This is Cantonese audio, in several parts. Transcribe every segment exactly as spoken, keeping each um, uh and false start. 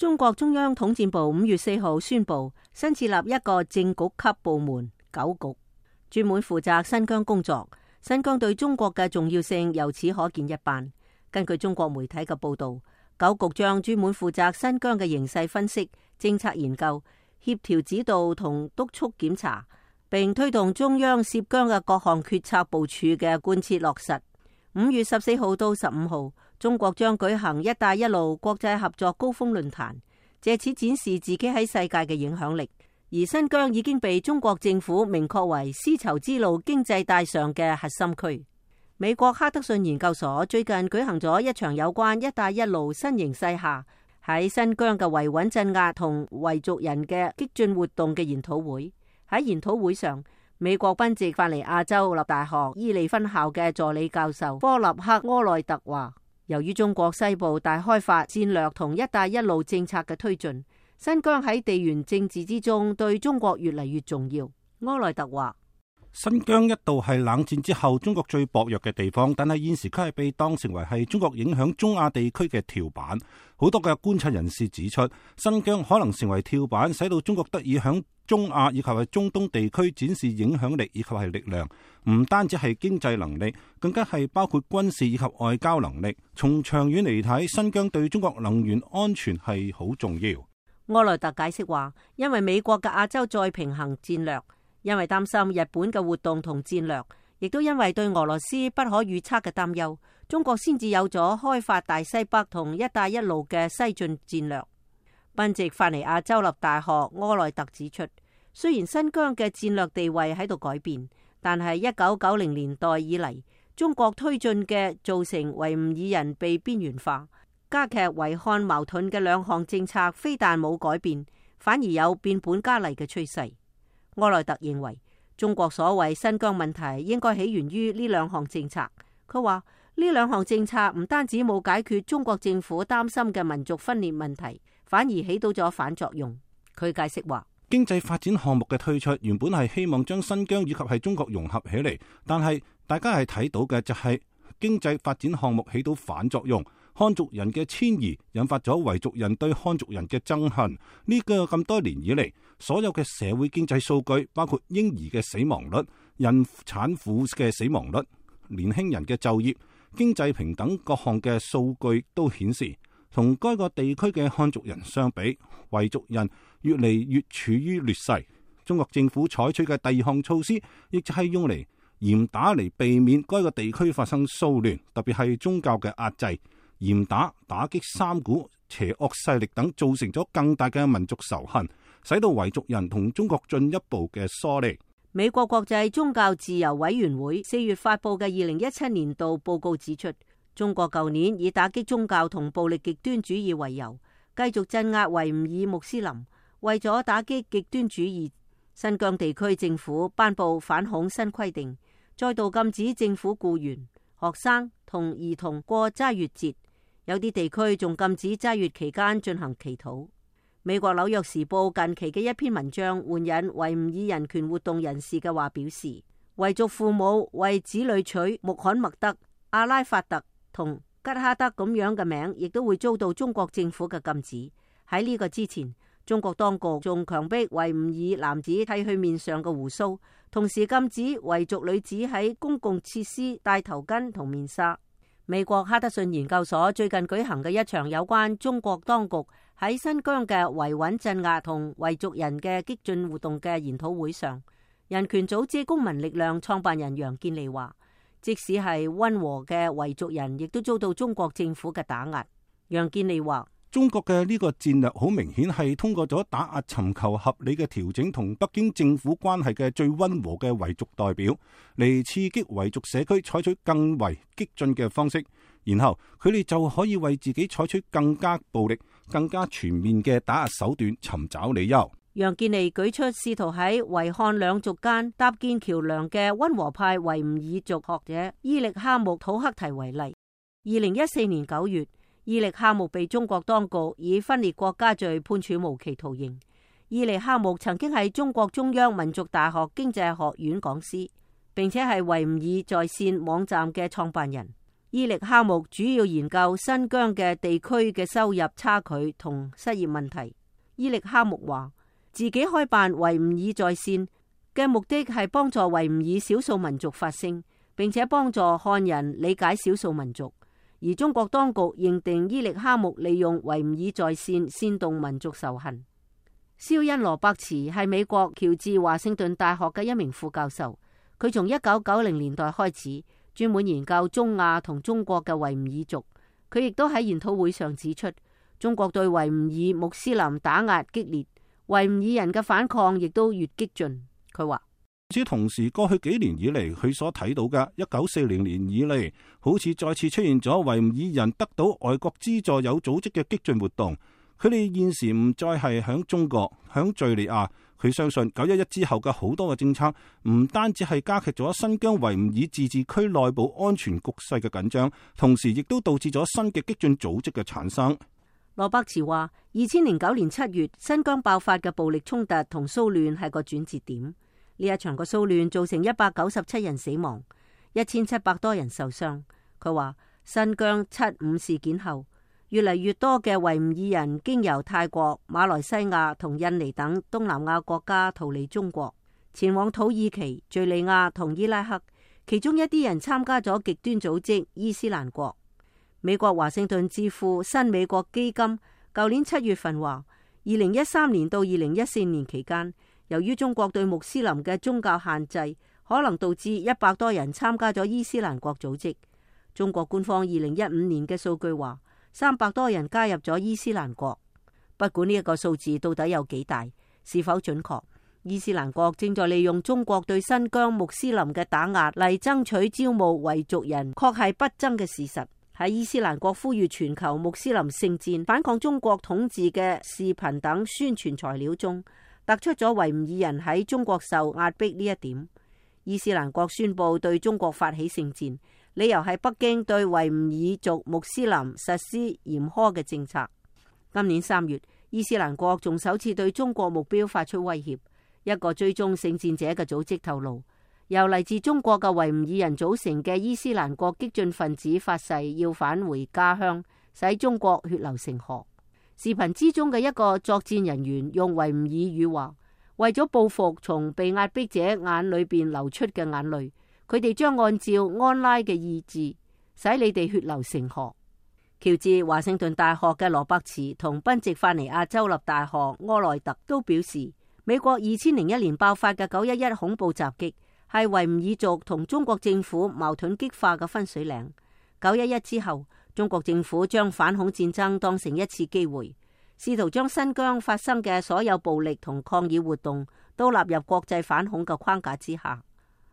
中國中央統戰部五月四號宣布，新設立一個正局級部門九局，專門負責新疆工作。新疆對中國嘅重要性由此可見一斑。根據中國媒體嘅報道，九局將專門負責新疆嘅形勢分析、政策研究、協調指導同督促檢查，並推動中央涉疆嘅各項決策部署嘅貫徹落實。五月十四號到十五號，中國將舉行一帶一路國際合作高峰論壇，借此展示自己喺世界嘅影響力。而新疆已經被中國政府明確為絲綢之路經濟帶上嘅核心區。美國哈德遜研究所最近舉行咗一場有關一帶一路新形勢下喺新疆嘅維穩鎮壓同維族人嘅激進活動嘅研討會。喺研討會上，美國賓夕法尼亞州立大學伊利分校嘅助理教授科納克柯內特話，由於中國西部大開發戰略同一帶一路政策嘅推進，新疆喺地緣政治之中對中國越嚟越重要。柯內特話，新疆一度係冷戰之後中國最薄弱嘅地方，但係現時佢係被當成為係中國影響中亞地區嘅跳板。好多嘅觀察人士指出，新疆可能成為跳板，使到中國得以響中亞以及係中東地區展示影響力以及係力量。唔單止係經濟能力，更加係包括軍事以及外交能力。從長遠嚟睇，新疆對中國能源安全係好重要。柯內特解釋話，因為美國嘅亞洲再平衡戰略，因為擔心日本嘅活動同戰略，亦都因為對俄羅斯不可預測嘅擔憂，中國先至有咗開發大西北同一帶一路嘅西進戰略。賓夕法尼亞州立大學柯內特指出，雖然新疆嘅戰略地位喺度改變，但係一九九零年代以嚟，中國推進嘅造成維吾爾人被邊緣化、加劇維漢矛盾嘅兩項政策，非但冇改變，反而有變本加厲嘅趨勢。柯內特認為，中國所謂新疆問題應該起源於呢兩項政策。佢話呢兩項政策唔單止冇解決中國政府擔心嘅民族分裂問題，反而起到咗反作用。佢解釋話，經濟發展項目嘅推出原本係希望將新疆以及係中國融合起嚟，但係大家係睇到嘅就係經濟發展項目起到反作用。漢族人嘅遷移引發咗維族人對漢族人嘅憎恨。呢個咁多年以嚟，所有嘅社會經濟數據，包括嬰兒嘅死亡率、孕產婦嘅死亡率、年輕人嘅就業、經濟平等各項嘅數據都顯示，同該個地區嘅漢族人相比，維族人越嚟越處於劣勢。中國政府採取嘅第二項措施，亦就係用嚟嚴打嚟避免該個地區發生騷亂，特別係宗教嘅壓制。嚴打打擊三股邪惡勢力等，造成咗更大嘅民族仇恨，使到維族人同中國進一步嘅疏離。美國國際宗教自由委員會四月發佈嘅二零一七年度報告指出，中國舊年以打擊宗教同暴力極端主義為由，繼續鎮壓維吾爾穆斯林。為咗打擊極端主義，新疆地區政府頒布反恐新規定，再度禁止政府僱員、學生同兒童過齋月節。有啲地區仲禁止齋月期間進行祈禱。美國紐約時報近期嘅一篇文章援引維吾爾人權活動人士嘅話表示，維族父母為子女取穆罕默德、阿拉法特同吉哈德咁樣嘅名，亦都會遭到中國政府嘅禁止。喺呢個之前，中國當局仲強迫維吾爾男子剃去面上嘅鬍鬚，同時禁止維族女子喺公共設施戴頭巾同面紗。美國哈德遜研究所最近舉行嘅一場有關中國當局喺新疆嘅維穩鎮壓同維族人嘅激進活動嘅研討會上，人權組織公民力量創辦人楊建利話，即使係溫和嘅維族人，亦都遭到中國政府嘅打壓。楊建利話，中國嘅呢個戰略好明顯係通過咗打壓尋求合理嘅調整同北京政府關係嘅最溫和嘅維族代表，嚟刺激維族社區採取更為激進嘅方式，然後佢哋就可以為自己採取更加暴力、更加全面嘅打壓手段尋找理由。楊建利舉出試圖喺維漢兩族間搭建橋樑嘅溫和派維吾爾族學者伊力哈木土克提為例。二零一四年九月，伊力哈木被中國當局以分裂國家罪判處無期徒刑。伊力哈木曾經係中國中央民族大學經濟學院講師，並且係維吾爾在線網站嘅創辦人。伊力哈木主要研究新疆嘅地區嘅收入差距同失業問題。伊力哈木話，自己開辦維吾爾在線嘅目的係幫助維吾爾少數民族發聲，並且幫助漢人理解少數民族。而中國當局認定伊力哈木利用維吾爾在線煽動民族仇恨。肖恩羅伯茨係美國喬治華盛頓大學嘅一名副教授，佢從一九九零年代開始專門研究中亞同中國嘅維吾爾族。佢亦都喺研討會上指出，中國對維吾爾穆斯林打壓激烈，維吾爾人嘅反抗亦都越激進。佢話，與此同時，過去幾年以嚟，佢所睇到嘅一九四零年以嚟，好似再次出現咗維吾爾人得到外國資助有組織嘅激進活動。佢哋現時唔再係響中國、響敘利亞。佢相信九一一之後嘅好多嘅政策，唔單止係加劇咗新疆維吾爾自治區內部安全局勢嘅緊張，同時亦都導致咗新嘅激進組織嘅產生。羅伯茨話，二千零九年七月新疆爆發嘅暴力衝突同騷亂係個轉折點。呢一場嘅騷亂造成一百九十七人死亡，一千七百多人受傷。佢話，新疆七五事件後，越嚟越多嘅維吾爾人經由泰國、馬來西亞同印尼等東南亞國家逃離中國，前往土耳其、敘利亞同伊拉克。其中一啲人參加咗極端組織伊斯蘭國。美國華盛頓智庫新美國基金舊年七月份話，二零一三年到二零一四年期間，由於中國對穆斯林嘅宗教限制，可能導致一百多人參加咗伊斯蘭國組織。中國官方二零一五年嘅數據話，三百多人加入咗伊斯蘭國。不管呢一個數字到底有幾大，是否準確，伊斯蘭國正在利用中國對新疆穆斯林嘅打壓嚟爭取招募維族人，確係不爭嘅事實。喺伊斯蘭國呼籲全球穆斯林聖戰、反抗中國統治嘅視頻等宣傳材料中，突出咗維吾爾人喺中國受壓迫呢一點。伊斯蘭國宣布對中國發起聖戰，理由係北京對維吾爾族穆斯林實施嚴苛嘅政策。今年三月，伊斯蘭國仲首次對中國目標發出威脅。一個追蹤聖戰者嘅組織透露，由嚟自中國嘅維吾爾人組成嘅伊斯蘭國激進分子發誓要返回家鄉，使中國血流成河。視頻之中嘅一個作戰人員用維吾爾語話，為咗報復從被壓迫者眼裏邊流出嘅眼淚，佢哋將按照安拉嘅意志，使你哋血流成河。喬治華盛頓大學嘅羅伯茨同賓夕法尼亞州立大學柯內特都表示，美國二千零一年爆發嘅九一一恐怖襲擊係維吾爾族同中國政府矛盾激化嘅分水嶺。九一一之後，中國政府將反恐戰爭當成一次機會，試圖將新疆發生嘅所有暴力同抗議活動都納入國際反恐嘅框架之下。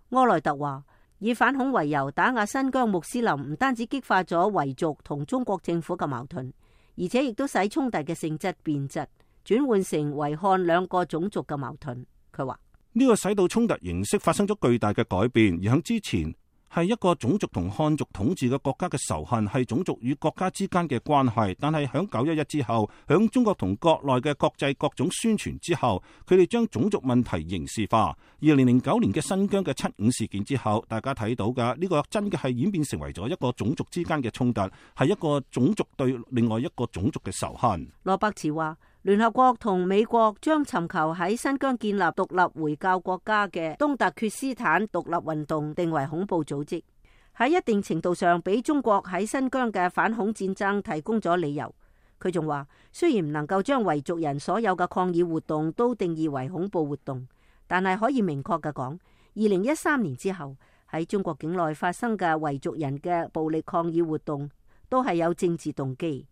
柯內特話，以反恐為由打壓新疆穆斯林，唔單止激化咗維族同中國政府嘅矛盾，而且亦都使衝突嘅性質變質，轉換成維漢兩個種族嘅矛盾。佢話呢個使到衝突形式發生咗巨大嘅改變，而喺之前係一個種族同漢族統治嘅國家嘅仇恨，係種族與國家之間嘅關係。但係響九一一之後，響中國同國內嘅國際各種宣傳之後，佢哋將種族問題刑事化。二零零九年嘅新疆嘅七五事件之後，大家睇到嘅呢個真嘅係演變成為咗一個種族之間嘅衝突，係一個種族對另外一個種族嘅仇恨。羅伯茨話，聯合國同美國將尋求喺新疆建立獨立回教國家嘅東突厥斯坦獨立運動定為恐怖組織，喺一定程度上俾中國喺新疆嘅反恐戰爭提供咗理由。佢仲話，雖然唔能夠將維族人所有嘅抗議活動都定義為恐怖活動，但係可以明確嘅講，二零一三年之後喺中國境內發生嘅維族人嘅暴力抗議活動都係有政治動機。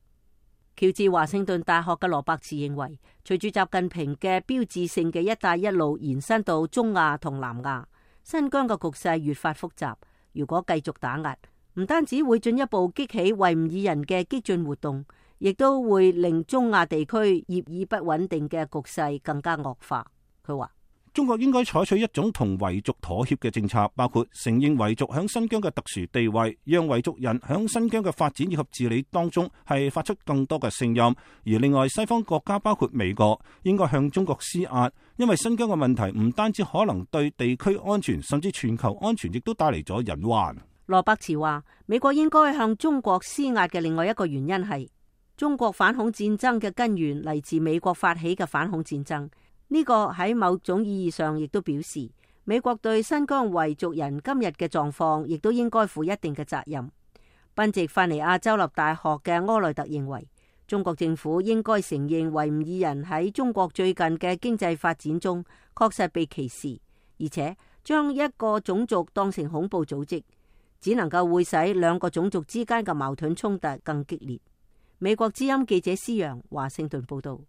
喬治華盛頓大學嘅羅伯茨認為，隨住習近平嘅標誌性嘅一帶一路延伸到中亞同南亞，新疆嘅局勢越發複雜。如果繼續打壓，唔單止會進一步激起維吾爾人嘅激進活動，亦都會令中亞地區業已不穩定嘅局勢更加惡化。佢話，中國應該採取一種同維族妥協嘅政策，包括承認維族響新疆嘅特殊地位，讓維族人響新疆嘅發展以及治理當中係發出更多嘅聲音。而另外，西方國家包括美國應該向中國施壓，因為新疆嘅問題唔單止可能對地區安全，甚至全球安全亦都帶嚟咗隱患。羅伯茨話，美國應該向中國施壓嘅另外一個原因係中國反恐戰爭嘅根源嚟自美國發起嘅反恐戰爭。呢個喺某種意義上亦都表示美國對新疆維族人今日嘅狀況亦都應該負一定嘅責任。賓夕法尼亞州立大學嘅柯內特認為，中國政府應該承認維吾爾人喺中國最近嘅經濟發展中確實被歧視，而且將一個種族當成恐怖組織，只能夠會使兩個種族之間嘅矛盾衝突更激烈。美國之音記者施洋華盛頓報道。